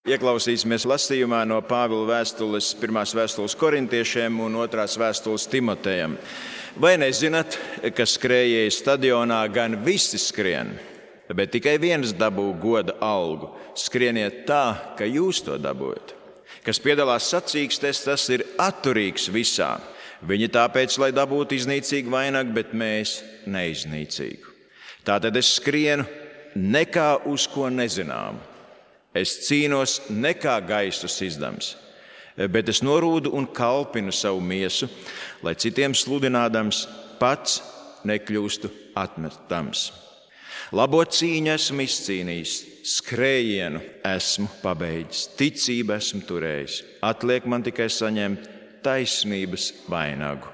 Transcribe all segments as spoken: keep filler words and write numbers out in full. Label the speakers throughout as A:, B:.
A: Ieklausīsimies lasījumā no Pāvila vēstules, pirmās vēstules korintiešiem un otrās vēstules Timotejam. Vai nezināt, ka skrējēju stadionā gan visi skrien, bet tikai viens dabū goda algu? Skrieniet tā, ka jūs to dabūjat. Kas piedalās sacīkstēs, tas ir atturīgs visā. Viņi tāpēc, lai dabūtu iznīcīgu vainagu, bet mēs neiznīcīgu. Tātad es skrienu nekā uz ko nezināmu. Es cīnos nekā gaisu sizdams, bet es norūdu un kalpinu savu miesu, lai citiem sludinādams pats nekļūstu atmetams. Labo cīņu esmu izcīnījis, skrējienu esmu pabeidzis, ticību esmu turējis. Atliek man tikai saņemt taisnības vainagu,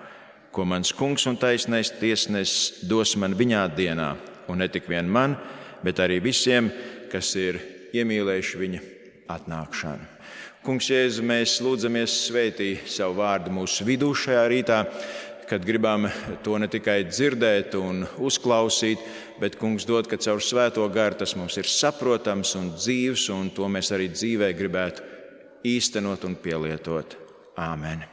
A: ko mans kungs un taisnais tiesnesis dos man viņā dienā, un ne tik vien man, bet arī visiem, kas ir iemīlējuši viņa atnākšanu. Kungs Jēzu, mēs lūdzamies svētī savu vārdu mūsu vidū šajā rītā, kad gribam to ne tikai dzirdēt un uzklausīt, bet, Kungs, dod, ka caur svēto garu tas mums ir saprotams un dzīvs, un to mēs arī dzīvē gribētu īstenot un pielietot. Āmen.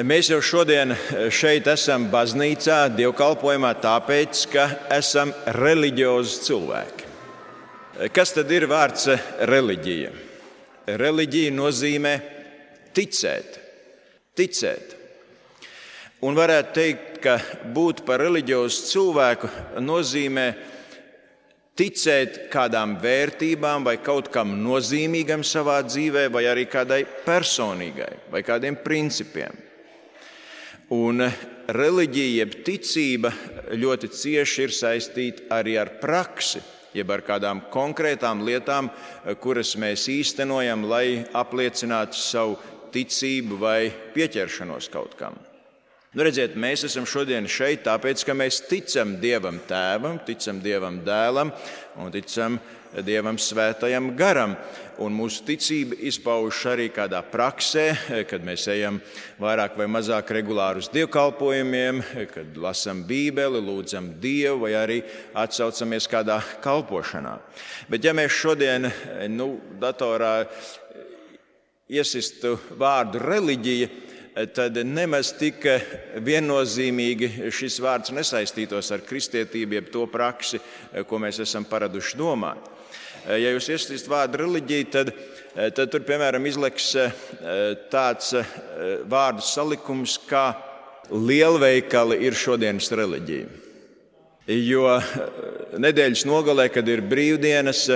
A: Mēs jau šodien šeit esam baznīcā, dievkalpojumā, tāpēc, ka esam reliģiozi cilvēki. Kas tad ir vārds reliģija? Reliģija nozīmē ticēt. Ticēt. Un varētu teikt, ka būt par reliģiozu cilvēku nozīmē ticēt kādām vērtībām vai kaut kam nozīmīgam savā dzīvē, vai arī kādai personīgai, vai kādiem principiem. Un reliģija, jeb ticība, ļoti cieši ir saistīta arī ar praksi, jeb ar kādām konkrētām lietām, kuras mēs īstenojam, lai apliecinātu savu ticību vai pieķeršanos kaut kam. Nu, redziet, mēs esam šodien šeit tāpēc, ka mēs ticam Dievam Tēvam, ticam Dievam Dēlam un ticam Dievam Svētajam Garam. Un mūsu ticība izpaužas arī kādā praksē, kad mēs ejam vairāk vai mazāk regulāri uz dievkalpojumiem, kad lasam Bībeli, lūdzam Dievu vai arī atsaucamies kādā kalpošanā. Bet ja mēs šodien nu, datorā iesistu vārdu reliģija, tad nemaz tik viennozīmīgi šis vārds nesaistītos ar kristietību, jeb to praksi, ko mēs esam paraduši domāt. Ja jūs iesaistīsiet vārdu reliģija, tad, tad tur, piemēram, izleks tāds vārdu salikums, kā lielveikali ir šodienas reliģija. Jo nedēļas nogalē, kad ir brīvdienas,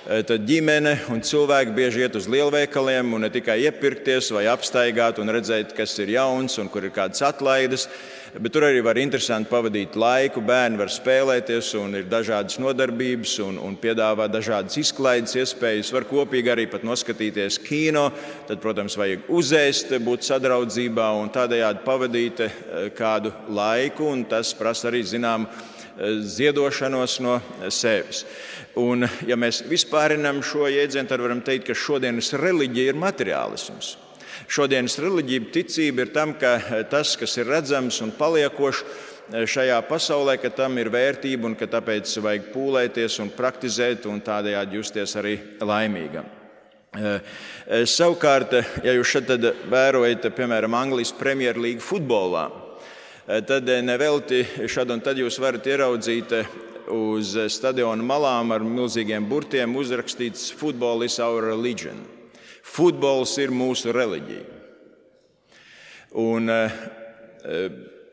A: tad ģimene un cilvēki bieži iet uz lielveikaliem un ne tikai iepirkties vai apstaigāt un redzēt, kas ir jauns un kur ir kādas atlaides, bet tur arī var interesanti pavadīt laiku, bērni var spēlēties un ir dažādas nodarbības un, un piedāvā dažādas izklaides iespējas, var kopīgi arī pat noskatīties kino, tad, protams, vajag uzēst, būt sadraudzībā un tādējādi pavadīt kādu laiku, un tas prasa arī zinām ziedošanos no sevis. Un, ja mēs vispārinām šo jēdzienu, tad varam teikt, ka šodienas reliģija ir materiālisms. Šodienas reliģija, ticība ir tam, ka tas, kas ir redzams un paliekošs šajā pasaulē, ka tam ir vērtība un ka tāpēc vajag pūlēties un praktizēt un tādējādi justies arī laimīgam. Savukārt, ja jūs šeit vērojat, piemēram, Anglijas Premjerlīgu futbolā, tad nevelti šad un tad jūs varat ieraudzīt uz stadiona malām ar milzīgiem burtiem uzrakstīts "Football is our religion". Futbols ir mūsu reliģija. Un uh,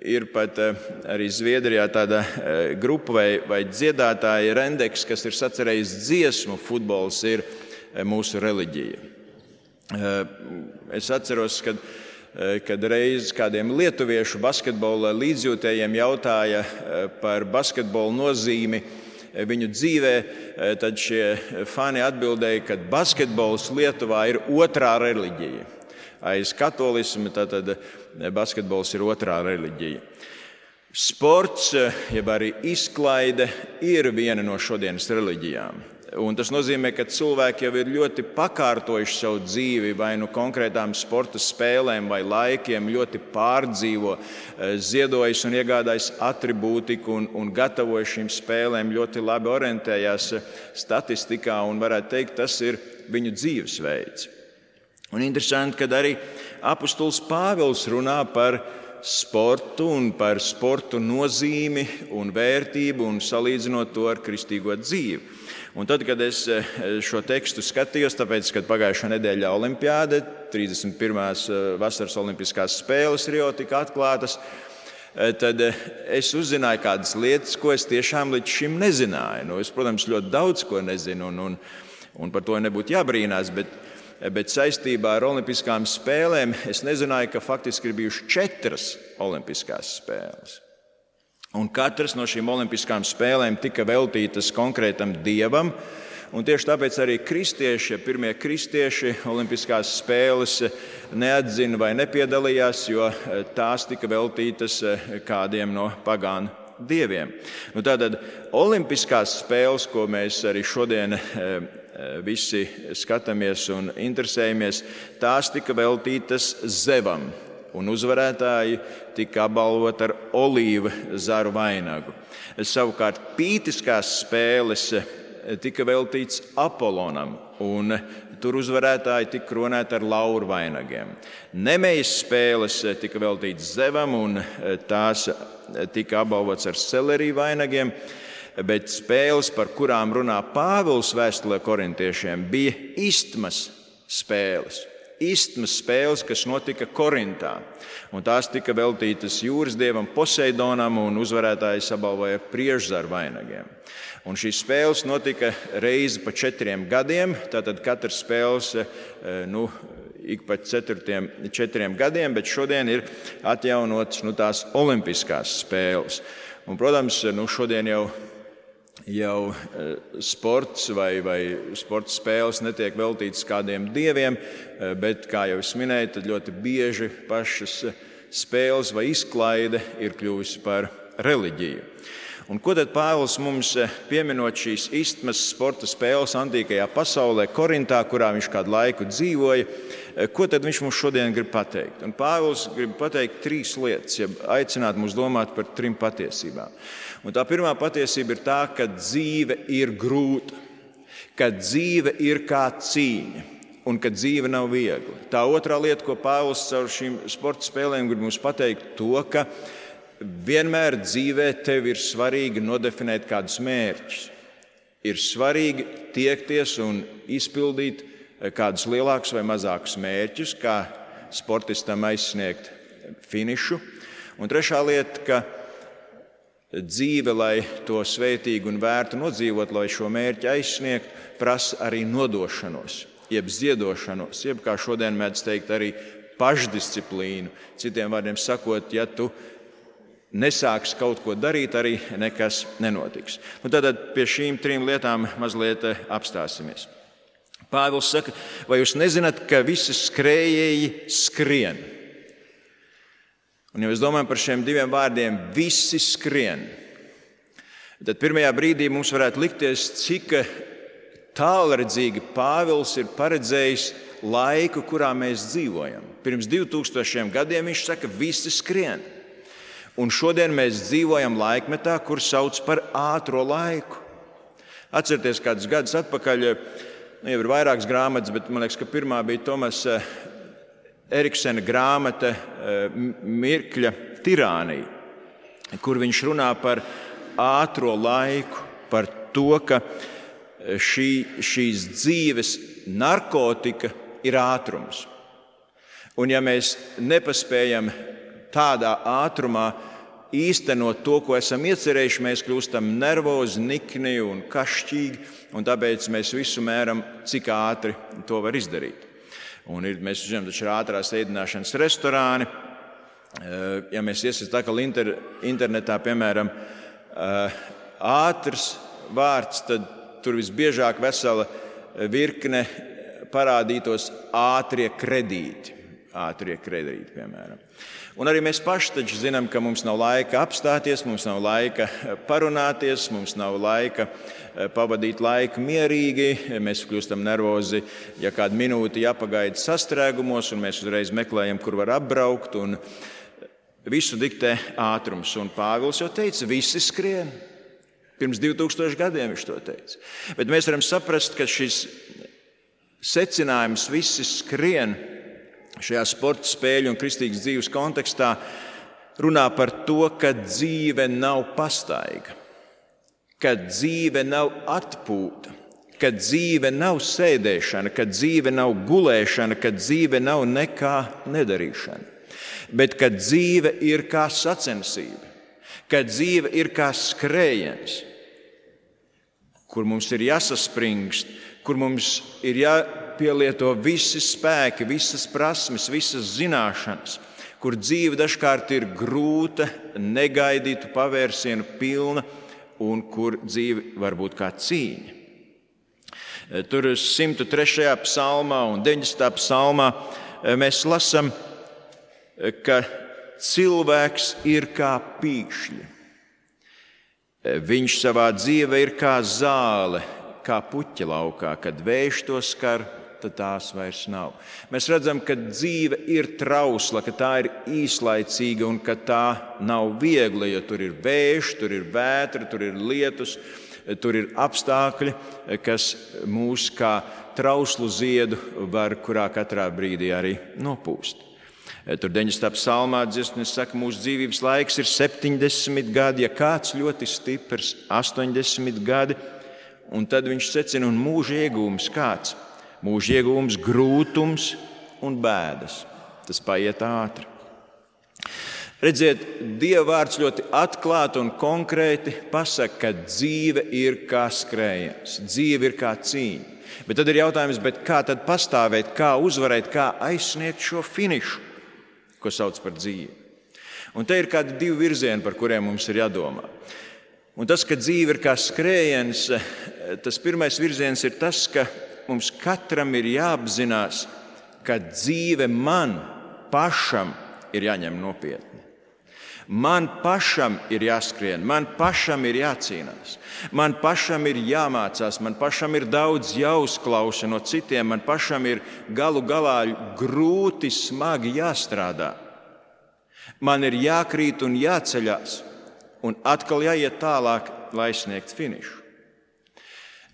A: ir pat uh, arī Zviedrijā tāda uh, grupa vai, vai dziedātāja Rendeks, kas ir sacerējis dziesmu "Futbols ir uh, mūsu reliģija". Uh, es atceros, kad kad reiz kādiem lietuviešu basketbola līdzjūtējiem jautāja par basketbola nozīmi viņu dzīvē, tad šie fani atbildēja, ka basketbols Lietuvā ir otrā reliģija. Aiz katolisma tātad basketbols ir otrā reliģija. Sports, jeb arī izklaide, ir viena no šodienas reliģijām. Un tas nozīmē, ka cilvēki jau ir ļoti pakārtojuši savu dzīvi vai nu konkrētām sporta spēlēm vai laikiem, ļoti pārdzīvo, ziedojas un iegādājas atribūtiku un, un gatavojas šīm spēlēm, ļoti labi orientējās statistikā un varētu teikt, tas ir viņu dzīvesveids. Un interesanti, ka arī apustulis Pāvils runā par sportu un par sportu nozīmi un vērtību un salīdzinot to ar kristīgo dzīvi. Un tad, kad es šo tekstu skatījos, tāpēc, kad pagājušā nedēļa olimpiāde, trīsdesmit pirmās vasaras olimpiskās spēles Rio tika atklātas, tad es uzzināju kādas lietas, ko es tiešām līdz šim nezināju. Nu, es, protams, ļoti daudz ko nezinu, un, un, un par to nebūtu jābrīnās, bet, bet saistībā ar olimpiskām spēlēm es nezināju, ka faktiski ir bijušas četras olimpiskās spēles. Un katras no šīm olimpiskām spēlēm tika veltītas konkrētam dievam, un tieši tāpēc arī kristieši, pirmie kristieši olimpiskās spēles neatzina vai nepiedalījās, jo tās tika veltītas kādiem no pagānu dieviem. Nu, tātad olimpiskās spēles, ko mēs arī šodien visi skatāmies un interesējamies, tās tika veltītas Zevam. Un uzvarētāji tika apbalvoti ar olīvu zaru vainagu. Savukārt pītiskās spēles tika veltīts Apolonam, un tur uzvarētāji tika kronēti ar lauru vainagiem. Nemejas spēles tika veltīts Zevam, un tās tika apbalvots ar seleriju vainagiem, bet spēles, par kurām runā Pāvils vēstulē korintiešiem, bija istmas spēles. Istmas spēles, kas notika Korintā, un tās tika veltītas jūras dievam Poseidonam, un uzvarētājs apbalvoja priežzaru vainagiem. Un šīs spēles notika reizi pa četriem gadiem, tātad katrs spēles nu, ik pa četriem, četriem gadiem, bet šodien ir atjaunotas nu, tās olimpiskās spēles. Un, protams, nu, šodien jau Jau sports vai, vai sporta spēles netiek veltītas kādiem dieviem, bet, kā jau es minēju, tad ļoti bieži pašas spēles vai izklaide ir kļuvusi par reliģiju. Un ko tad Pāvils mums pieminot šīs istmas sporta spēles antīkajā pasaulē, Korintā, kurā viņš kādu laiku dzīvoja, ko tad viņš mums šodien grib pateikt? Un Pāvils grib pateikt trīs lietas, ja aicināt mūs domāt par trim patiesībām. Un tā pirmā patiesība ir tā, ka dzīve ir grūta, ka dzīve ir kā cīņa un ka dzīve nav viegla. Tā otrā lieta, ko Pāvils caur šīm sporta spēlēm grib mums pateikt, to, ka vienmēr dzīvē tev ir svarīgi nodefinēt kādus mērķus. Ir svarīgi tiekties un izpildīt kādus lielākus vai mazākus mērķus, kā sportistam aizsniegt finišu. Un trešā lieta, ka dzīve, lai to svētīgu un vērtu nodzīvot, lai šo mērķi aizsniegt, prasa arī nodošanos, jeb ziedošanos, jeb, kā šodien mēdz teikt, arī pašdisciplīnu. Citiem vārdiem sakot, ja tu nesāks kaut ko darīt, arī nekas nenotiks. Un tātad pie šīm trim lietām mazliet apstāsimies. Pāvils saka, vai jūs nezināt, ka visi skrējēji skrien? Un, ja mēs domājam par šiem diviem vārdiem, visi skrien, tad pirmajā brīdī mums varētu likties, cik tālredzīgi Pāvils ir paredzējis laiku, kurā mēs dzīvojam. Pirms divtūkstošiem gadiem viņš saka, visi skrien. Un šodien mēs dzīvojam laikmetā, kur sauc par ātro laiku. Atcerieties, kādus gadus atpakaļ, nu, jau ir vairākas grāmatas, bet man liekas, ka pirmā bija Tomas Eriksena grāmata Mirkļa tirānija, kur viņš runā par ātro laiku, par to, ka šī, šīs dzīves narkotika ir ātrums. Un ja mēs nepaspējam tādā ātrumā īstenot to, ko esam iecerējuši, mēs kļūstam nervozi, nikni un kašķīgi, un tāpēc mēs visu mēram, cik ātri to var izdarīt. Un ir, mēs zinām, taču ir ātrās ēdināšanas restorāni. Ja mēs iesim tā kā inter, internetā, piemēram, ātrs vārds, tad tur visbiežāk vesela virkne parādītos ātrie kredīti. ātrie kredīti, piemēram. Un arī mēs paši taču zinām, ka mums nav laika apstāties, mums nav laika parunāties, mums nav laika pavadīt laiku mierīgi. Mēs kļūstam nervozi, ja kādu minūti jāpagaida sastrēgumos, un mēs uzreiz meklējam, kur var apbraukt, un visu diktē ātrums. Un Pāvils jau teica, visi skrien. Pirms divi tūkstoši gadiem viņš to teica. Bet mēs varam saprast, ka šis secinājums visi skrien šajā sporta spēļu un kristīgas dzīves kontekstā runā par to, ka dzīve nav pastaiga, ka dzīve nav atpūta, ka dzīve nav sēdēšana, ka dzīve nav gulēšana, ka dzīve nav nekā nedarīšana, bet ka dzīve ir kā sacensība, ka dzīve ir kā skrējiens, kur mums ir jāsaspringst, kur mums ir jāpielieto visi spēki, visas prasmes, visas zināšanas, kur dzīve dažkārt ir grūta, negaidītu pavērsienu pilna un kur dzīve var būt kā cīņa. Tur simt trešajā psalmā un deviņdesmitā psalmā mēs lasām, ka cilvēks ir kā pīkšļi. Viņš savā dzīvē ir kā zāle, kā puķa laukā, kad vējš to skar, tad tās vairs nav. Mēs redzam, ka dzīve ir trausla, ka tā ir īslaicīga un ka tā nav viegla, jo tur ir vējš, tur ir vētra, tur ir lietus, tur ir apstākļi, kas mūs kā trauslu ziedu var kurā katrā brīdī arī nopūst. Tur deviņdesmitā psalmā dziesmas saka, mūsu dzīvības laiks ir septiņdesmit gadi, ja kāds ļoti stiprs, astoņdesmit gadi, un tad viņš secina, un mūža iegūms kāds? Mūža iegūms grūtums un bēdas. Tas paiet ātri. Redziet, Dieva vārds ļoti atklāti un konkrēti pasaka, ka dzīve ir kā skrējiens, dzīve ir kā cīņa. Bet tad ir jautājums, bet kā tad pastāvēt, kā uzvarēt, kā aizsniegt šo finišu, ko sauc par dzīvi. Un te ir kādi divi virzieni, par kuriem mums ir jādomā. Un tas, ka dzīve ir kā skrējiens, tas pirmais virziens ir tas, ka mums katram ir jāapzinās, ka dzīve man pašam ir jāņem nopietni. Man pašam ir jāskrien, man pašam ir jācīnās, man pašam ir jāmācās, man pašam ir daudz jāuzklausa no citiem, man pašam ir galu galā grūti, smagi jāstrādā. Man ir jākrīt un jāceļās. Un atkal jāiet tālāk, lai sniegtu finišu.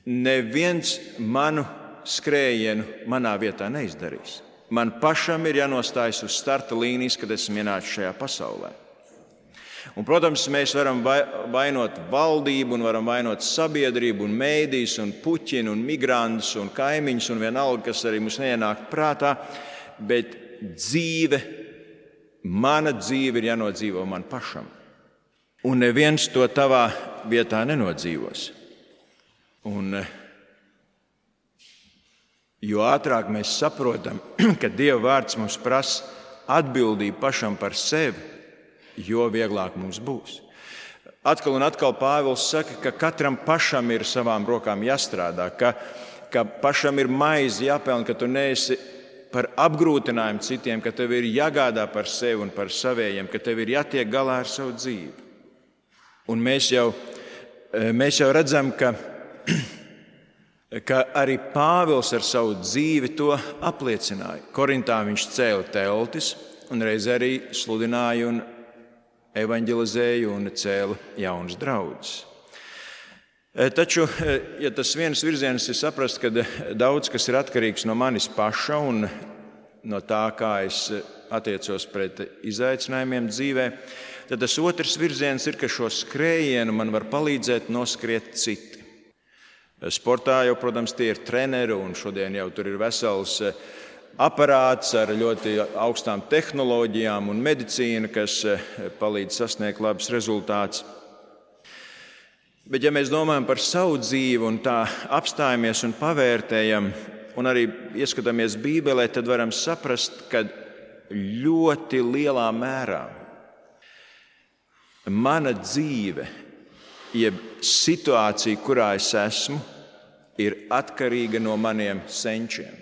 A: Neviens manu skrējienu manā vietā neizdarīs. Man pašam ir jānostājas uz starta līnijas, kad esmu ienācis šajā pasaulē. Un, protams, mēs varam vainot valdību, un varam vainot sabiedrību, un mēdījus, un puķinu, un migrantus, un kaimiņus, un vienalga, kas arī mums neienāk prātā, bet dzīve, mana dzīve ir jānodzīvo man pašam. Un neviens to tavā vietā nenodzīvos. Un, jo ātrāk mēs saprotam, ka Dieva vārds mums prasa atbildību pašam par sevi, jo vieglāk mums būs. Atkal un atkal Pāvils saka, ka katram pašam ir savām rokām jāstrādā, ka, ka pašam ir maize jāpelna, ka tu neesi par apgrūtinājumu citiem, ka tev ir jāgādā par sevi un par savējiem, ka tev ir jātiek galā ar savu dzīvi. Un mēs jau, mēs jau redzam, ka, ka arī Pāvils ar savu dzīvi to apliecināja. Korintā viņš cēla teltis un reiz arī sludināja un evanģelizēja un cēla jaunas draudzes. Taču, ja tas viens virziens ir saprast, ka daudz kas ir atkarīgs no manis paša un no tā, kā es attiecos pret izaicinājumiem dzīvē, tad tas otrs virziens ir, ka šo skrējienu man var palīdzēt noskriet citi. Sportā jau, protams, tie ir treneri, un šodien jau tur ir vesels aparāts ar ļoti augstām tehnoloģijām un medicīna, kas palīdz sasniegt labus rezultātus. Bet ja mēs domājam par savu dzīvi un tā apstājamies un pavērtējam un arī ieskatāmies Bībelē, tad varam saprast, ka ļoti lielā mērā mana dzīve, jeb situācija, kurā es esmu, ir atkarīga no maniem senčiem.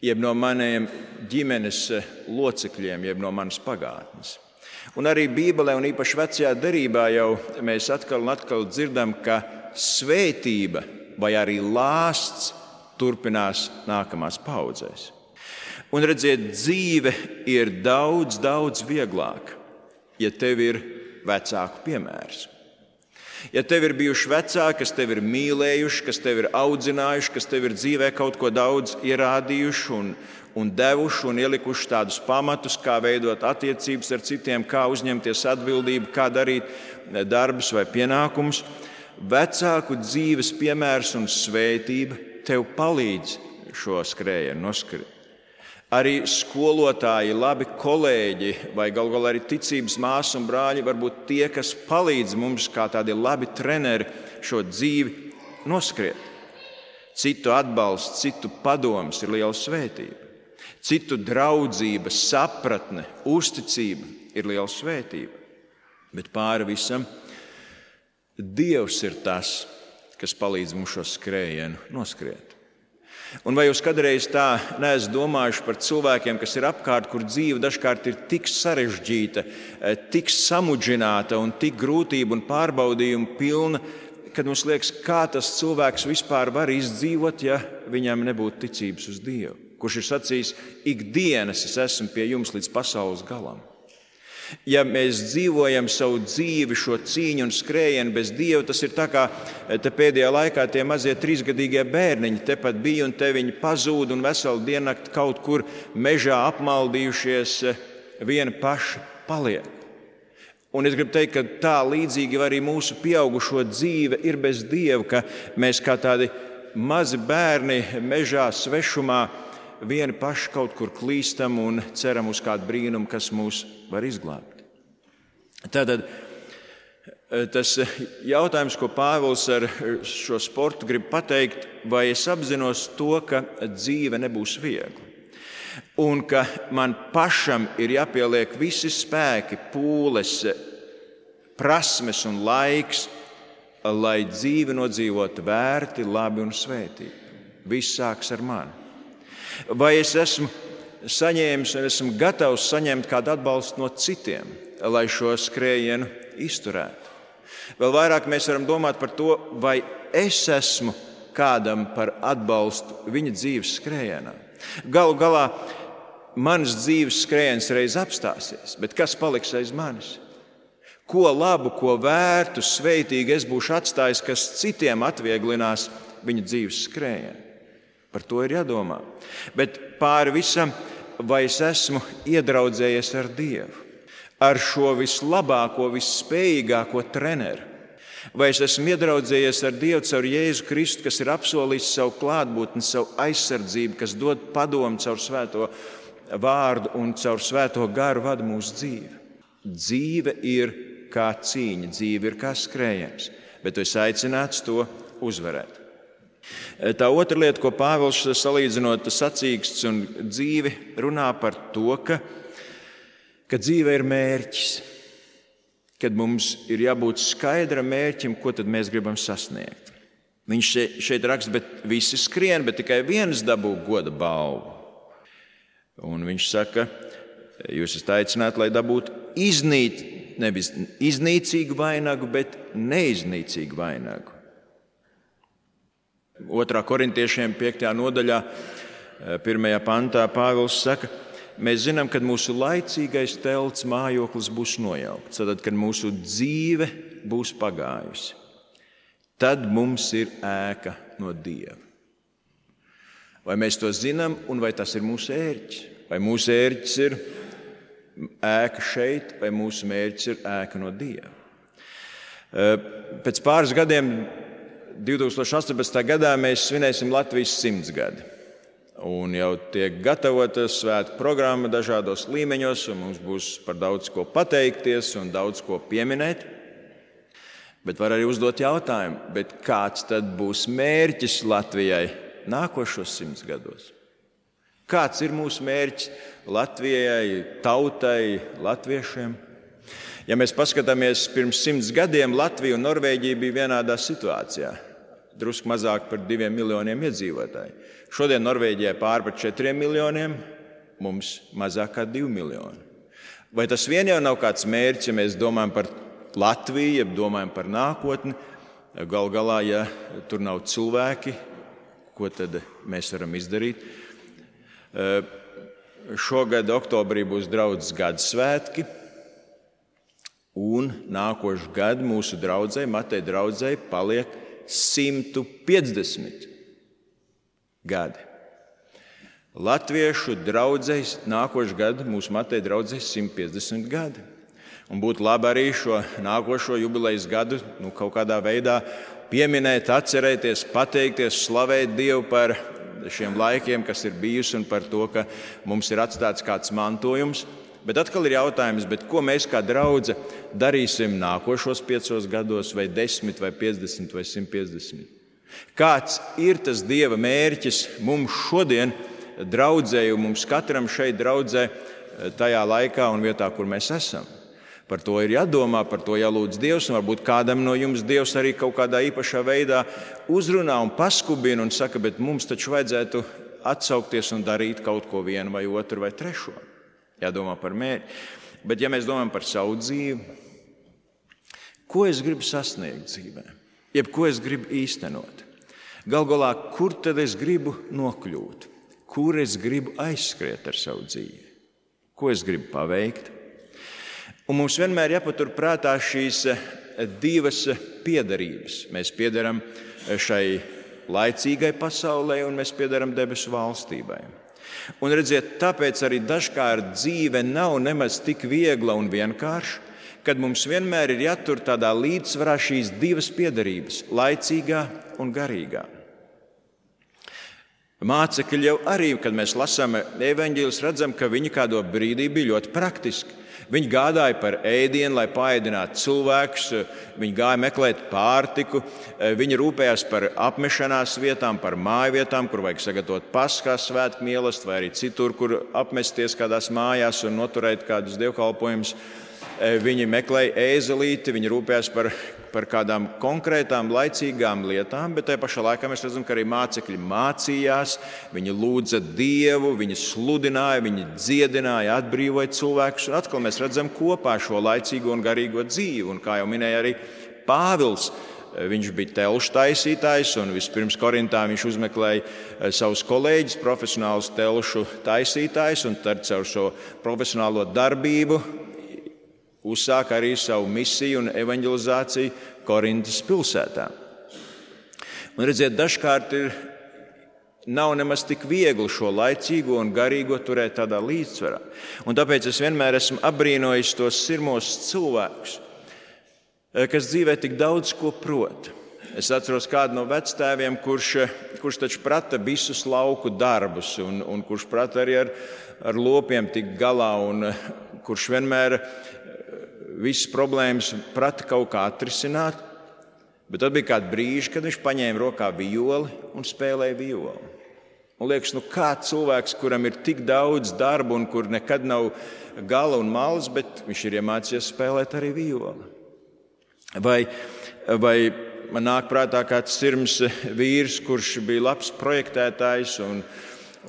A: jeb no maniem ģimenes locekļiem, jeb no manas pagātnes. Un arī Bībelē, un īpaši Vecajā derībā, jau mēs atkal un atkal dzirdam, ka svētība vai arī lāsts turpinās nākamās paudzēs. Un redziet, dzīve ir daudz, daudz vieglāka, ja tev ir vecāku piemērs. Ja tev ir bijuši vecāki, kas tevi ir mīlējuši, kas tevi ir audzinājuši, kas tev ir dzīvē kaut ko daudz ierādījuši un, un devuši un ielikuši tādus pamatus, kā veidot attiecības ar citiem, kā uzņemties atbildību, kā darīt darbus vai pienākumus, vecāku dzīves piemērs un svētība tev palīdz šo skrējienu noskriet. Arī skolotāji, labi kolēģi vai galu galā arī ticības māsas un brāļi var būt tie, kas palīdz mums kā tādi labi treneri šo dzīvi noskriet. Citu atbalsts, citu padoms ir liela svētība. Citu draudzība, sapratne, uzticība ir liela svētība. Bet pāri visam Dievs ir tas, kas palīdz mums šo skrējienu noskriet. Un vai jūs kādreiz tā neesat domājuši par cilvēkiem, kas ir apkārt, kur dzīve dažkārt ir tik sarežģīta, tik samudžināta un tik grūtību un pārbaudījumu pilna, kad mums liekas, kā tas cilvēks vispār var izdzīvot, ja viņam nebūtu ticības uz Dievu, kurš ir sacījis, ikdienas es esmu pie jums līdz pasaules galam. Ja mēs dzīvojam savu dzīvi, šo cīņu un skrējienu bez Dieva, tas ir tā kā te pēdējā laikā tie mazie trīsgadīgie bērniņi tepat bija un te viņi pazūd un veselu diennakti kaut kur mežā apmaldījušies vieni paši paliek. Un es gribu teikt, ka tā līdzīgi arī mūsu pieaugušo dzīve ir bez Dieva, ka mēs kā tādi mazi bērni mežā svešumā vieni paši kaut kur klīstam un ceram uz kādu brīnumu, kas mūs var izglābt. Tātad tas jautājums, ko Pāvils ar šo sportu grib pateikt, vai es apzinos to, ka dzīve nebūs viegla un ka man pašam ir jāpieliek visi spēki, pūles, prasmes un laiks, lai dzīvi nodzīvotu vērti, labi un svētīgi. Viss sāks ar mani. Vai es esmu saņēmis un esmu gatavs saņemt kādu atbalstu no citiem, lai šo skrējienu izturētu? Vēl vairāk mēs varam domāt par to, vai es esmu kādam par atbalstu viņa dzīves skrējienā. Galu galā mans dzīves skrējiens reiz apstāsies, bet kas paliks aiz manis? Ko labu, ko vērtu, sveitīgu es būšu atstājis, kas citiem atvieglinās viņa dzīves skrējienu? Par to ir jādomā. Bet pāri visam, vai es esmu iedraudzējies ar Dievu, ar šo vislabāko, visspējīgāko treneru? Vai es esmu iedraudzējies ar Dievu caur Jēzu Kristu, kas ir apsolījis savu klātbūtni, savu aizsardzību, kas dod padomu caur svēto vārdu un caur svēto garu vada mūsu dzīvi? Dzīve ir kā cīņa, dzīve ir kā skrējiens, bet tu esi aicināts to uzvarēt. Tā otra lieta, ko Pāvils salīdzinot sacīksts un dzīvi, runā par to, ka, ka dzīve ir mērķis, kad mums ir jābūt skaidram mērķim, ko tad mēs gribam sasniegt. Viņš šeit raksta, bet visi skrien, bet tikai viens dabū goda balvu. Un viņš saka, jūs esat aicināti, lai dabūtu iznīt, nevis iznīcīgu vainagu, bet neiznīcīgu vainagu. Otrā korintiešiem piektajā nodaļā, pirmajā pantā Pāvils saka, mēs zinām, kad mūsu laicīgais telts mājoklis būs nojaukts, tad, kad mūsu dzīve būs pagājusi, tad mums ir ēka no Dieva. Vai mēs to zinām un vai tas ir mūsu ērķis? Vai mūsu ērķis ir ēka šeit, vai mūsu mērķis ir ēka no Dieva? Pēc pāris gadiem, divtūkstoš astoņpadsmitajā gadā, mēs svinēsim Latvijas simtsgadi. Un jau tiek gatavota svētku programma dažādos līmeņos, un mums būs par daudz ko pateikties un daudz ko pieminēt. Bet var arī uzdot jautājumu, bet kāds tad būs mērķis Latvijai nākošos simts gados? Kāds ir mūsu mērķis Latvijai, tautai, latviešiem? Ja mēs paskatāmies pirms simts gadiem, Latvija un Norvēģija bija vienādā situācijā. drusku mazāk par diviem miljoniem iedzīvotāju. Šodien Norvēģijā pār par četriem miljoniem, mums mazāk kā divi miljoni. Vai tas vien jau nav kāds mērķis, ja mēs domājam par Latviju, ja domājam par nākotni? Galu galā, ja tur nav cilvēki, ko tad mēs varam izdarīt? Šogad oktobrī būs draudzes gada svētki, un nākošu gadu mūsu draudzei, Mateja draudzei, paliek simt piecdesmit gadi. Latviešu draudzei nākošu gadu mūsu Mateja draudzei simt piecdesmit gadi. Un būtu labi arī šo nākošo jubilejas gadu nu, kaut kādā veidā pieminēt, atcerēties, pateikties, slavēt Dievu par šiem laikiem, kas ir bijusi, un par to, ka mums ir atstāts kāds mantojums. Bet atkal ir jautājums, bet ko mēs kā draudze darīsim nākošos piecos gados, vai desmit, vai piecdesmit, vai simt piecdesmit? Kāds ir tas Dieva mērķis mums šodien, draudzēju, mums katram šeit draudzē, tajā laikā un vietā, kur mēs esam? Par to ir jādomā, par to jālūdz Dievs, un varbūt kādam no jums Dievs arī kaut kādā īpašā veidā uzrunā un paskubina un saka, bet mums taču vajadzētu atsaukties un darīt kaut ko vienu vai otru vai trešo. Jādomā par mērķi. Bet ja mēs domājam par savu dzīvi, ko es gribu sasniegt dzīvē, jeb ko es gribu īstenot? Gal galā, kur tad es gribu nokļūt? Kur es gribu aizskriet ar savu dzīvi? Ko es gribu paveikt? Un mums vienmēr jāpatur prātā šīs divas piederības. Mēs piederam šai laicīgai pasaulē un mēs piederam debesu valstībai. Un redziet, tāpēc arī dažkārt dzīve nav nemaz tik viegla un vienkārša, kad mums vienmēr ir jātur tādā līdzsvarā šīs divas piederības – laicīgā un garīgā. Mācekļi jau arī, kad mēs lasām evaņģēlus, redzam, ka viņi kādā brīdī bija ļoti praktiski. Viņi gādāja par ēdienu, lai paēdinātu cilvēkus, viņi gāja meklēt pārtiku, viņi rūpējās par apmešanās vietām, par mājvietām, kur vajag sagatavot Paskās svētku mīlestību, vai arī citur, kur apmesties kādās mājās un noturēt kādus dievkalpojumus. Viņi meklēja ēzelīti, viņi rūpējās par, par kādām konkrētām, laicīgām lietām, bet tajā pašā laikā mēs redzam, ka arī mācekļi mācījās, viņi lūdza Dievu, viņi sludināja, viņi dziedināja, atbrīvoja cilvēkus. Un atkal mēs redzam kopā šo laicīgo un garīgo dzīvi. Un kā jau minēja arī Pāvils, viņš bija telšu taisītājs, un vispirms Korintā viņš uzmeklēja savus kolēģus, profesionālus telšu taisītājus, un tad caur šo profesionālo darbību uzsāk arī savu misiju un evaņģelizāciju Korintas pilsētā. Un redziet, dažkārt ir, nav nemaz tik viegli šo laicīgo un garīgo turēt tādā līdzsvarā. Un tāpēc es vienmēr esmu apbrīnojis tos sirmos cilvēkus, kas dzīvē tik daudz ko prot. Es atceros kādu no vectēviem, kurš, kurš taču prata visus lauku darbus un, un kurš prata arī ar, ar lopiem tikt galā un kurš vienmēr visas problēmas prata kaut kā atrisināt, bet tad bija kādi brīži, kad viņš paņēma rokā violi un spēlēja violi. Un liekas, nu kā cilvēks, kuram ir tik daudz darba un kur nekad nav gala un malas, bet viņš ir iemācījies spēlēt arī violi. Vai, vai man nāk prātā kāds sirms vīrs, kurš bija labs projektētājs un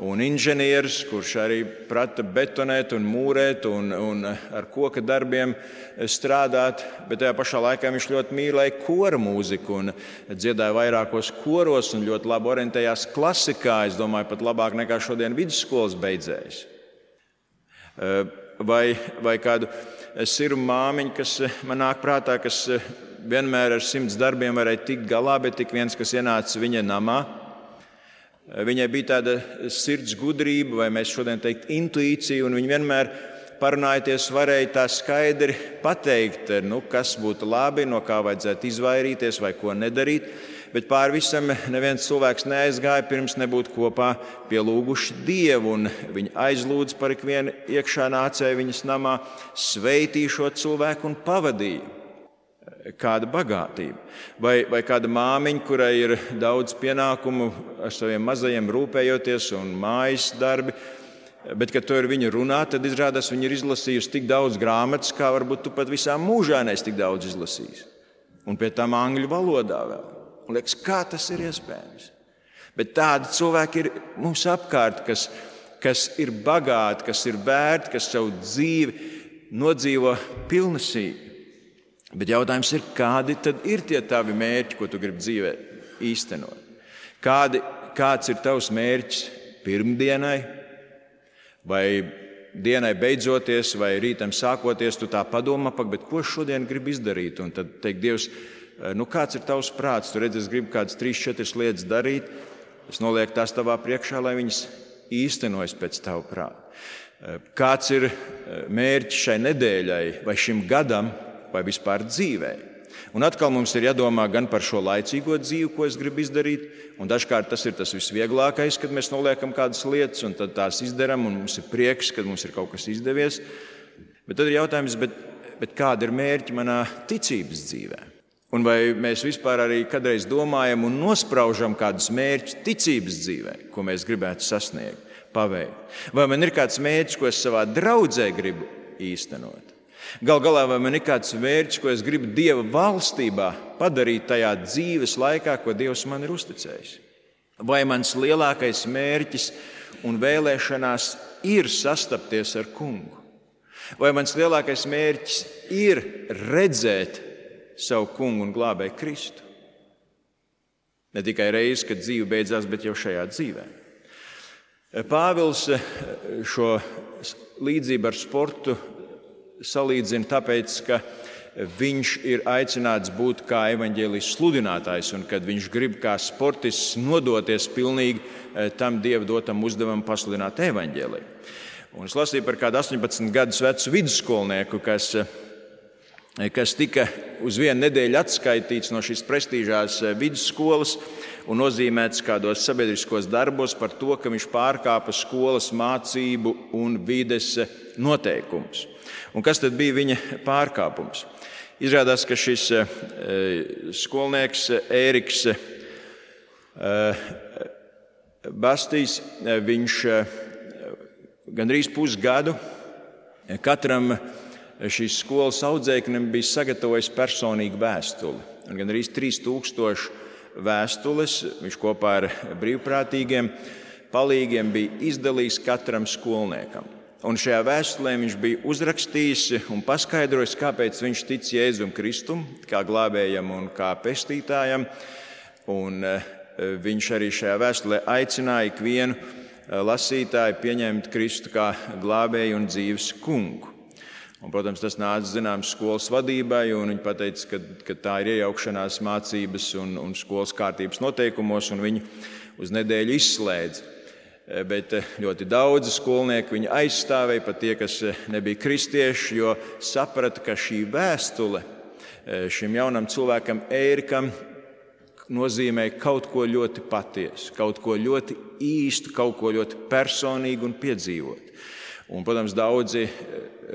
A: un inženieris, kurš arī prata betonēt un mūrēt un, un ar koka darbiem strādāt, bet tajā pašā laikā viņš ļoti mīlēja kora mūziku un dziedāja vairākos koros un ļoti labi orientējās klasikā, es domāju, pat labāk nekā šodien vidusskolas beidzējs. Vai, vai kādu sirmu māmiņu, kas man nāk prātā, kas vienmēr ar simts darbiem varēja tikt galā, bet tik viens, kas ienāca viņa namā, viņai bija tāda sirds gudrība, vai mēs šodien teikt intuīcija, un viņa vienmēr parunājoties varēja tā skaidri pateikt, nu, kas būtu labi, no kā vajadzētu izvairīties vai ko nedarīt. Bet pār visam neviens cilvēks neaizgāja, pirms nebūtu kopā pielūguši Dievu, un viņi aizlūdz par ikvienu iekšā nācēju viņas namā, sveitīja šo cilvēku un pavadīja. Kāda bagātība. Vai, vai kāda māmiņa, kurai ir daudz pienākumu ar saviem mazajiem rūpējoties un mājas darbi, bet, kad to ir viņa runā, tad izrādās, viņa ir izlasījusi tik daudz grāmatas, kā varbūt tu pat visā mūžā neesi tik daudz izlasījis. Un pie tām angļu valodā vēl. Un liekas, kā tas ir iespējams? Bet tādi cilvēki ir mums apkārt, kas, kas ir bagāti, kas ir vērti, kas savu dzīvi nodzīvo pilnesīgi. Bet jautājums ir, kādi tad ir tie tavi mērķi, ko tu gribi dzīvē īstenot? Kādi, kāds ir tavs mērķis pirmdienai? Vai dienai beidzoties, vai rītam sākoties, tu tā padomā, bet ko šodien gribi izdarīt? Un tad teikt, Dievs, nu kāds ir tavs prāts? Tu redzi, es gribu kādas trīs, četras lietas darīt. Es nolieku tās tavā priekšā, lai viņas īstenojas pēc tava prāta. Kāds ir mērķis šai nedēļai, vai šim gadam, vai vispār dzīvē? Un atkal mums ir jādomā gan par šo laicīgo dzīvi, ko es gribu izdarīt, un dažkārt tas ir tas visvieglākais, kad mēs noliekam kādas lietas, un tad tās izdarām, un mums ir prieks, kad mums ir kaut kas izdevies. Bet tad ir jautājums, bet, bet kāda ir mērķi manā ticības dzīvē? Un vai mēs vispār arī kādreiz domājam un nospraužam kādus mērķus ticības dzīvē, ko mēs gribētu sasniegt, paveikt? Vai man ir kāds mērķis, ko es savā draudzē gribu īstenot? Gal galā, vai man ir kāds mērķis, ko es gribu Dieva valstībā padarīt tajā dzīves laikā, ko Dievs man ir uzticējis? Vai mans lielākais mērķis un vēlēšanās ir sastapties ar Kungu? Vai mans lielākais mērķis ir redzēt savu Kungu un glābēju Kristu? Ne tikai reizi, kad dzīve beidzās, bet jau šajā dzīvē. Pāvils šo līdzību ar sportu salīdzina tāpēc, ka viņš ir aicināts būt kā evaņģēlijas sludinātājs, un kad viņš grib kā sportists nodoties pilnīgi tam Dieva dotam uzdevumam pasludināt evaņģēliju. Un es lasīju par kādu astoņpadsmit gadus vecu vidusskolnieku, kas, kas tika uz vienu nedēļu atskaitīts no šīs prestīžās vidusskolas un nozīmēts kādos sabiedriskos darbos par to, ka viņš pārkāpa skolas mācību un vides noteikumus. Un kas tad bija viņa pārkāpums? Izrādās, ka šis skolnieks Ēriks Bastīs, viņš gandrīz pusgadu katram šīs skolas audzēknim bija sagatavojis personīgu vēstuli. Un gandrīz trīs tūkstoši vēstules viņš kopā ar brīvprātīgiem palīgiem bija izdalījis katram skolniekam. Un šajā vēstulē viņš bija uzrakstījis un paskaidrojis, kāpēc viņš tic Jēzum Kristum, kā glābējam un kā pestītājam. Un viņš arī šajā vēstulē aicināja ikvienu lasītāju pieņemt Kristu kā glābēju un dzīves kungu. Un, protams, tas nāca zināms skolas vadībai, un viņi pateica, ka, ka tā ir iejaukšanās mācības un, un skolas kārtības noteikumos, un viņu uz nedēļu izslēdza. Bet ļoti daudzi skolnieki viņu aizstāvēja, pat tie, kas nebija kristieši, jo saprata, ka šī vēstule šim jaunam cilvēkam Ērikam nozīmē kaut ko ļoti patiesu, kaut ko ļoti īstu, kaut ko ļoti personīgu un piedzīvot. Un, protams, daudzi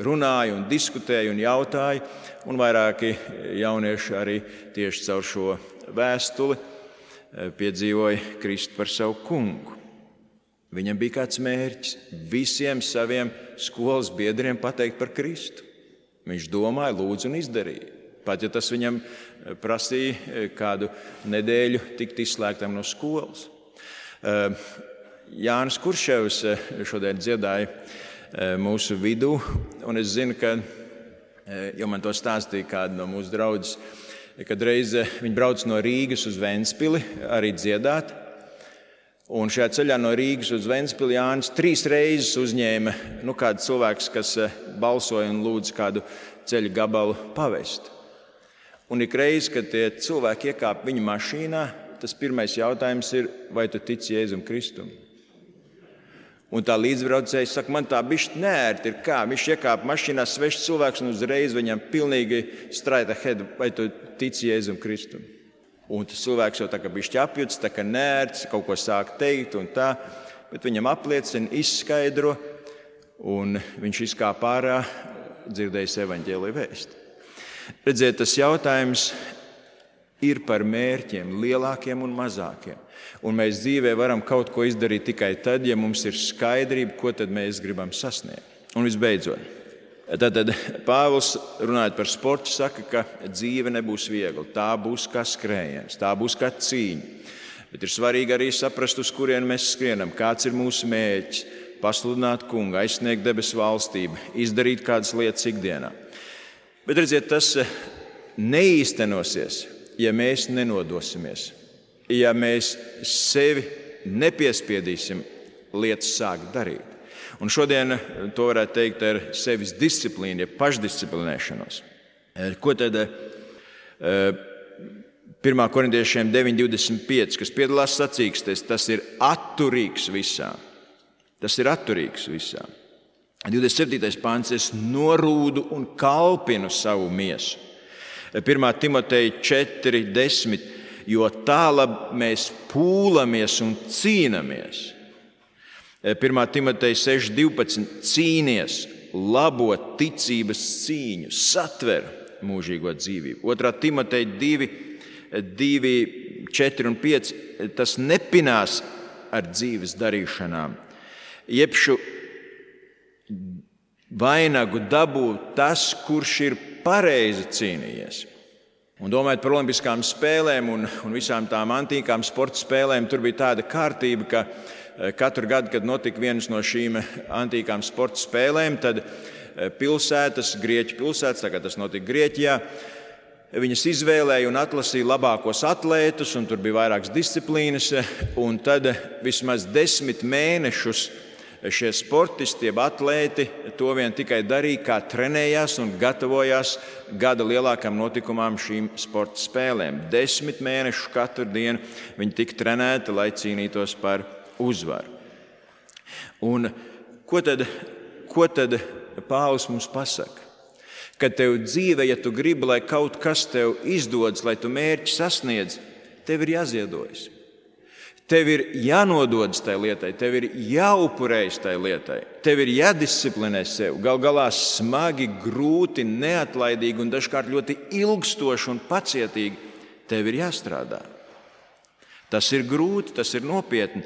A: runāja un diskutēja un jautāja, un vairāki jaunieši arī tieši caur šo vēstuli piedzīvoja Kristu par savu kungu. Viņam bija kāds mērķis visiem saviem skolas biedriem pateikt par Kristu. Viņš domāja, lūdza un izdarīja. Pat ja tas viņam prasīja kādu nedēļu tikt izslēgtam no skolas. Jānis Kurševs šodien dziedāja mūsu vidū, un es zinu, ka, jo man to stāstīja kāda no mūsu draudzes, kad reiz viņi brauc no Rīgas uz Ventspili arī dziedāt. Un šajā ceļā no Rīgas uz Ventspili Jānis trīs reizes uzņēma nu, kādu cilvēku, kas balsoja un lūdza kādu ceļu gabalu pavest. Un ik reiz, kad tie cilvēki iekāp viņa mašīnā, tas pirmais jautājums ir, vai tu tici Jēzum Kristum? Un tā līdzbraucēja saka, man tā bišķi neērti ir kā. Viņš iekāp mašīnā svešs cilvēks un uzreiz viņam pilnīgi straight ahead, vai tu tici Jēzum Kristum? Un tas cilvēks jau tā kā bišķi apjuts, tā kā neērts, kaut ko sāk teikt un tā, bet viņam apliecina, izskaidro, un viņš izkāp ārā, dzirdējis evaņģēlija vēsti. Redziet, tas jautājums ir par mērķiem, lielākiem un mazākiem. Un mēs dzīvē varam kaut ko izdarīt tikai tad, ja mums ir skaidrība, ko tad mēs gribam sasniegt. Un visbeidzot, Tātad Pāvils, runājot par sportu, saka, ka dzīve nebūs viegla. Tā būs kā skrējiens, tā būs kā cīņa. Bet ir svarīgi arī saprast, uz kurien mēs skrienam, kāds ir mūsu mērķis, pasludināt kungu, aizsniegt debesu valstību, izdarīt kādas lietas ikdienā. Bet redziet, tas neīstenosies, ja mēs nenodosimies, ja mēs sevi nepiespiedīsim lietas sākt darīt. Un šodien to varētu teikt ar sevis disciplīnu, ja pašdisciplinēšanos. Ko tad pirmā korintiešiem deviņi divdesmit pieci, kas piedalās sacīkstēs, tas ir atturīgs visā. Tas ir atturīgs visā. divdesmit septītais pāns, es norūdu un kalpinu savu miesu. pirmā Timoteja četri desmit, jo tālāk mēs pūlamies un cīnamies. pirmā Timoteja seši divpadsmit, cīnies, labo ticības cīņu, satver mūžīgo dzīvību. otrā Timoteja divi, divi, četri un pieci, tas nepinās ar dzīves darīšanām. Jebšu vainagu dabū tas, kurš ir pareizi cīnījies. Un domājot par olimpiskām spēlēm un, un visām tām antīkām sporta spēlēm, tur bija tāda kārtība, ka katru gadu, kad notika vienas no šīm antīkām sporta spēlēm, tad pilsētas, Grieķu pilsētas, tā kā tas notika Grieķijā, viņas izvēlēja un atlasīja labākos atlētus, un tur bija vairākas disciplīnas, un tad vismaz desmit mēnešus šie sportisti, jeb atlēti, to vien tikai darīja, kā trenējās un gatavojās gada lielākām notikumām šīm sporta spēlēm. Desmit mēnešus katru dienu viņi tika trenēti, lai cīnītos par uzvaru. Un ko tad, ko tad Pāvils mums pasaka? Kad tev dzīve, ja tu gribi, lai kaut kas tev izdodas, lai tu mērķi sasniedz, tev ir jāziedojas. Tev ir jānododas tai lietai, tev ir jāupurējas tai lietai, tev ir jādisciplinē sev. Gal galā smagi, grūti, neatlaidīgi un dažkārt ļoti ilgstoši un pacietīgi tev ir jāstrādā. Tas ir grūti, tas ir nopietni,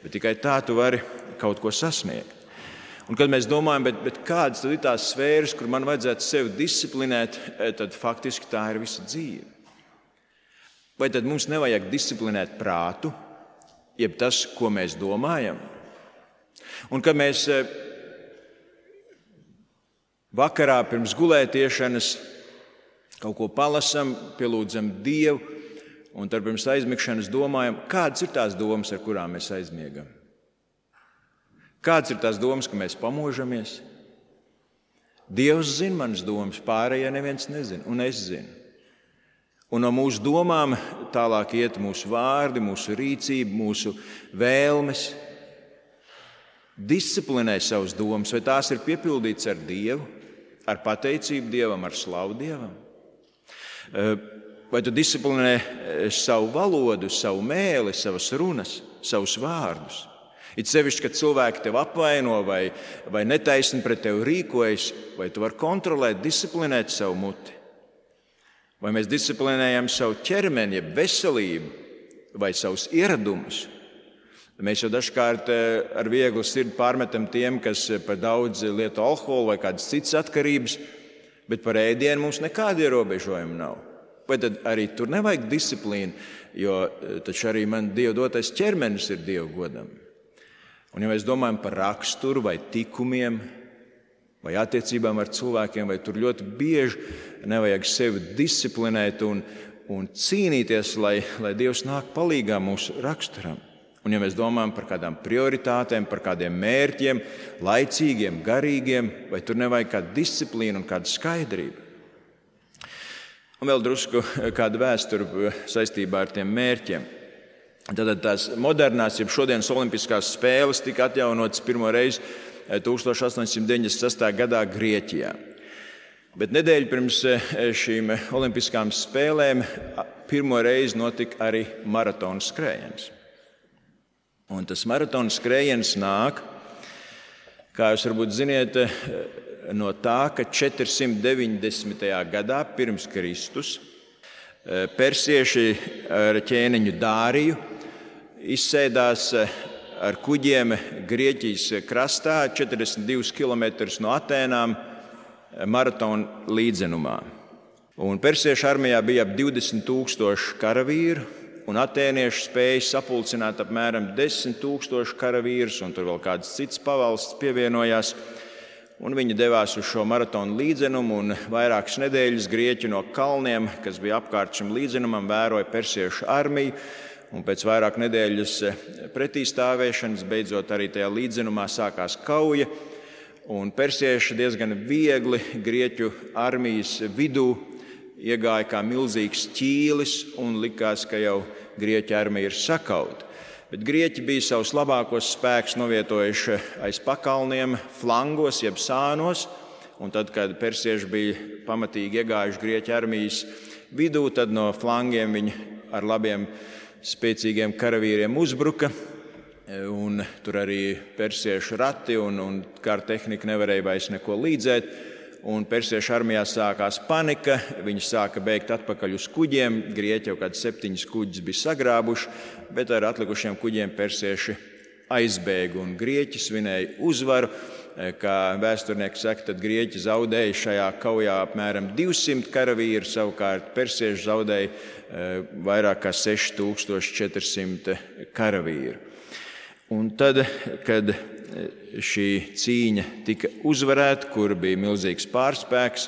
A: bet tikai tā tu vari kaut ko sasniegt. Un kad mēs domājam, bet, bet kādas tad ir tās sfēras, kur man vajadzētu sevi disciplinēt, tad faktiski tā ir visa dzīve. Vai tad mums nevajag disciplinēt prātu, jeb tas, ko mēs domājam? Un kad mēs vakarā pirms gulētiešanas kaut ko palasam, pielūdzam Dievu, un tad pirms aizmigšanas domājam, kādas ir tās domas, ar kurām mēs aizmiegam? Kādas ir tās domas, ka mēs pamožamies? Dievs zina manas domas, pārējie neviens nezina, un es zinu. Un no mūsu domām tālāk iet mūsu vārdi, mūsu rīcība, mūsu vēlmes. Disciplinē savas domas, vai tās ir piepildītas ar Dievu, ar pateicību Dievam, ar slavu Dievam? Vai tu disciplinē savu valodu, savu mēli, savas runas, savus vārdus? It sevišķi, kad cilvēki tev apvaino vai, vai netaisni pret tevi rīkojas, vai tu vari kontrolēt, disciplinēt savu muti? Vai mēs disciplinējam savu ķermeni, jeb veselību, vai savus ieradumus? Mēs jau dažkārt ar vieglu sirdi pārmetam tiem, kas par daudz lieto alkoholu vai kādas citas atkarības, bet par ēdienu mums nekāda ierobežojuma nav. Vai tad arī tur nevajag disciplīnu, jo taču arī man Dieva dotais ķermenis ir Dieva godam. Un ja mēs domājam par raksturu vai tikumiem, vai attiecībām ar cilvēkiem, vai tur ļoti bieži nevajag sevi disciplinēt un, un cīnīties, lai, lai Dievs nāk palīgā mūsu raksturam. Un ja mēs domājam par kādām prioritātēm, par kādiem mērķiem, laicīgiem, garīgiem, vai tur nevajag kādu disciplīnu un kādu skaidrību. Un vēl drusku kāda vēsture saistībā ar tiem mērķiem. Tātad tās modernās, jeb šodienas olimpiskās spēles tika atjaunotas pirmo reizi tusenš astoņsimt deviņdesmit sestajā gadā Grieķijā. Bet nedēļu pirms šīm olimpiskām spēlēm pirmo reizi notika arī maratona skrējiens. Un tas maratona skrējiens nāk, kā jūs varbūt ziniet, no tā, ka četrsimt deviņdesmitajā gadā pirms Kristus persieši ar ķēniņu Dāriju izsēdās ar kuģiem Grieķijas krastā četrdesmit divus kilometrus no Atēnām maratona līdzenumā. Un persiešu armijā bija ap divdesmit tūkstoši karavīru, un atēnieši spēja sapulcināt apmēram desmit tūkstoši karavīrus, un tur vēl kāds cits pavalsts pievienojās. Un viņi devās uz šo maratonu līdzenumu, un vairākas nedēļas grieķi no kalniem, kas bija apkārt šim līdzenumam, vēroja persiešu armiju. Un pēc vairāk nedēļas pretīstāvēšanas beidzot arī tajā līdzenumā sākās kauja. Un persieši diezgan viegli grieķu armijas vidū iegāja kā milzīgs ķīlis un likās, ka jau grieķu armija ir sakauta. Bet grieķi bija savus labākos spēkus novietojuši aiz pakalniem, flangos jeb sānos. Un tad, kad persieši bija pamatīgi iegājuši grieķu armijas vidū, tad no flangiem viņi ar labiem spēcīgiem karavīriem uzbruka. Un tur arī persiešu rati un, un kara tehnika nevarēja vairs neko līdzēt. Un persiešu armijā sākās panika, viņi sāka bēgt atpakaļ uz kuģiem, grieķi jau kāds septiņas kuģus bija sagrābuši, bet ar atlikušiem kuģiem persieši aizbēga un grieķi svinēja uzvaru. Kā vēsturnieki saka, tad grieķi zaudēja šajā kaujā apmēram divsimt karavīru, savukārt persieši zaudēja vairāk kā seši tūkstoši četri simti karavīru. Un tad, kad šī cīņa tika uzvarēta, kur bija milzīgs pārspēks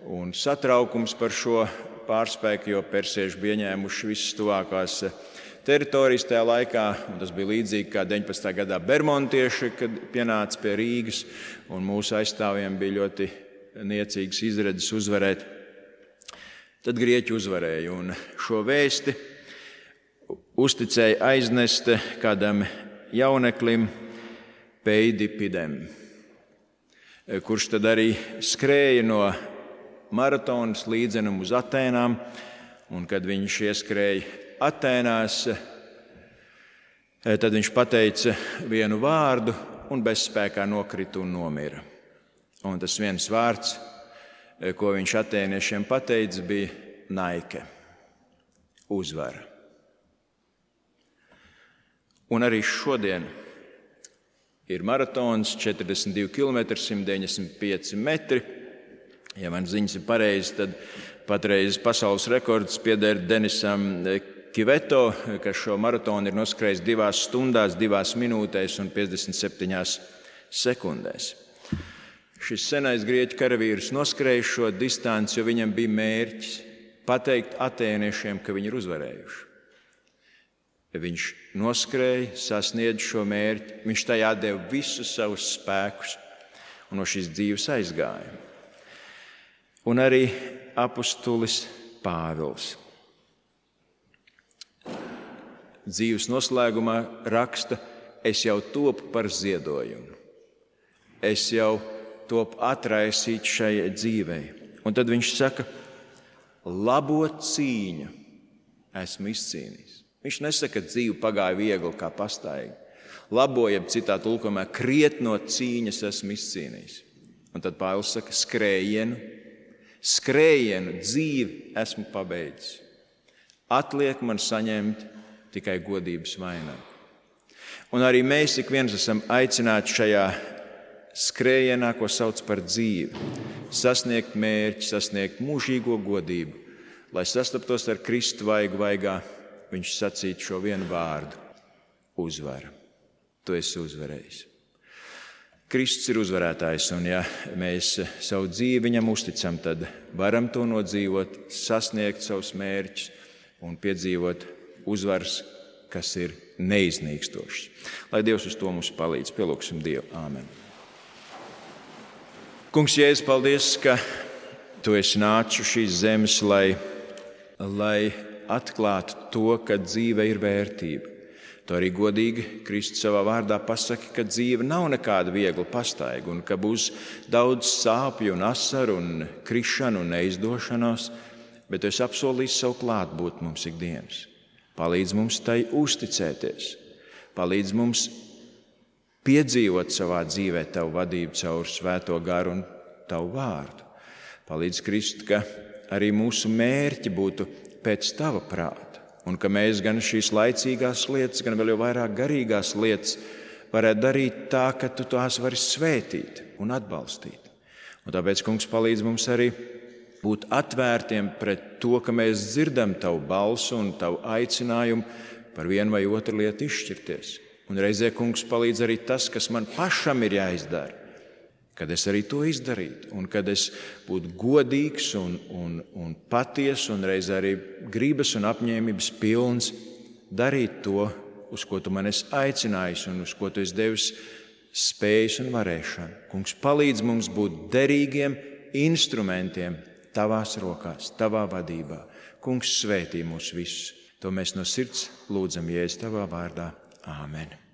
A: un satraukums par šo pārspēku, jo persieši bija ieņēmuši visas tuvākās teritorijas tajā laikā, un tas bija līdzīgi kā deviņpadsmitā gadā bermontieši, kad pienāca pie Rīgas, un mūsu aizstāvjiem bija ļoti niecīgas izredzes uzvarēt. Tad grieķi uzvarēja, un šo vēsti uzticēja aiznest kādam jauneklim Peidipidem, kurš tad arī skrēja no maratonas līdzenumu uz Atēnām, un kad viņš ieskrēja Atēnās, tad viņš pateica vienu vārdu un bezspēkā nokrita un nomira. Un tas viens vārds, ko viņš atēniešiem pateica, bija Naike, uzvara. Un arī šodien ir maratons, četrdesmit divi kilometri, simt deviņdesmit pieci metri. Ja man ziņas ir pareizi, tad patreiz pasaules rekords pieder Denisam Kiveto, kas šo maratonu ir noskrējis divās stundās, divās minūtēs un piecdesmit septiņās sekundēs. Šis senais grieķu karavīrs noskrēja šo distanci, jo viņam bija mērķis pateikt atēniešiem, ka viņi ir uzvarējuši. Viņš noskrēja, sasniedza šo mērķi, viņš tajā deva visus savus spēkus un no šīs dzīves aizgāja. Un arī apustulis Pāvils dzīves noslēgumā raksta: es jau topu par ziedojumu, es jau topu atraisīt šai dzīvei. Un tad viņš saka: labo cīņu esmu izcīnījis. Viņš nesaka, ka dzīve pagāja viegli kā pastaigi. Labo, jeb citā tulkojumā, krietno cīņas esmu izcīnījis. Un tad Pāvils saka: skrējienu, skrējienu dzīvi esmu pabeidzis. Atliek man saņemt tikai godības vainagu. Un arī mēs ik viens esam aicināti šajā skrējienā, ko sauc par dzīvi, sasniegt mērķi, sasniegt mūžīgo godību, lai sastaptos ar Kristu vaigu vaigā. Viņš sacīja šo vienu vārdu – uzvara. Tu esi uzvarējis. Kristus ir uzvarētājs, un ja mēs savu dzīvi viņam uzticam, tad varam to nodzīvot, sasniegt savus mērķus un piedzīvot uzvaras, kas ir neiznīkstošas. Lai Dievs uz to mums palīdz. Pielūgsim Dievu. Āmen. Kungs, Jēzus, paldies, ka Tu esi nācis uz šīs zemes, lai, lai atklātu to, ka dzīve ir vērtība. Tu arī godīgi Kristus savā vārdā pasaki, ka dzīve nav nekāda viegla pastaiga un ka būs daudz sāpju un asaru un krišanu un neizdošanos, bet Tu esi apsolījis savu klātbūt mums ikdienas. Palīdz mums tai uzticēties, palīdz mums piedzīvot savā dzīvē Tavu vadību caur Svēto garu un Tavu vārdu. Palīdz, Kristu, ka arī mūsu mērķi būtu pēc Tava prāta, un ka mēs gan šīs laicīgās lietas, gan vēl jau vairāk garīgās lietas varētu darīt tā, ka Tu tās vari svētīt un atbalstīt. Un tāpēc, kungs, palīdz mums arī būt atvērtiem pret to, ka mēs dzirdam tavu balsu un tavu aicinājumu par vienu vai otru lietu izšķirties. Un reizē, kungs, palīdz arī tas, kas man pašam ir jāizdara, kad es arī to izdarītu, un kad es būtu godīgs un, un, un patiess, un reizē arī gribas un apņēmības pilns darīt to, uz ko tu man esi aicinājis un uz ko tu esi devis spējas un varēšanu. Kungs, palīdz mums būt derīgiem instrumentiem tavās rokās, tavā vadībā. Kungs, svētī mūs visus. To mēs no sirds lūdzam Jēzus tavā vārdā. Āmen.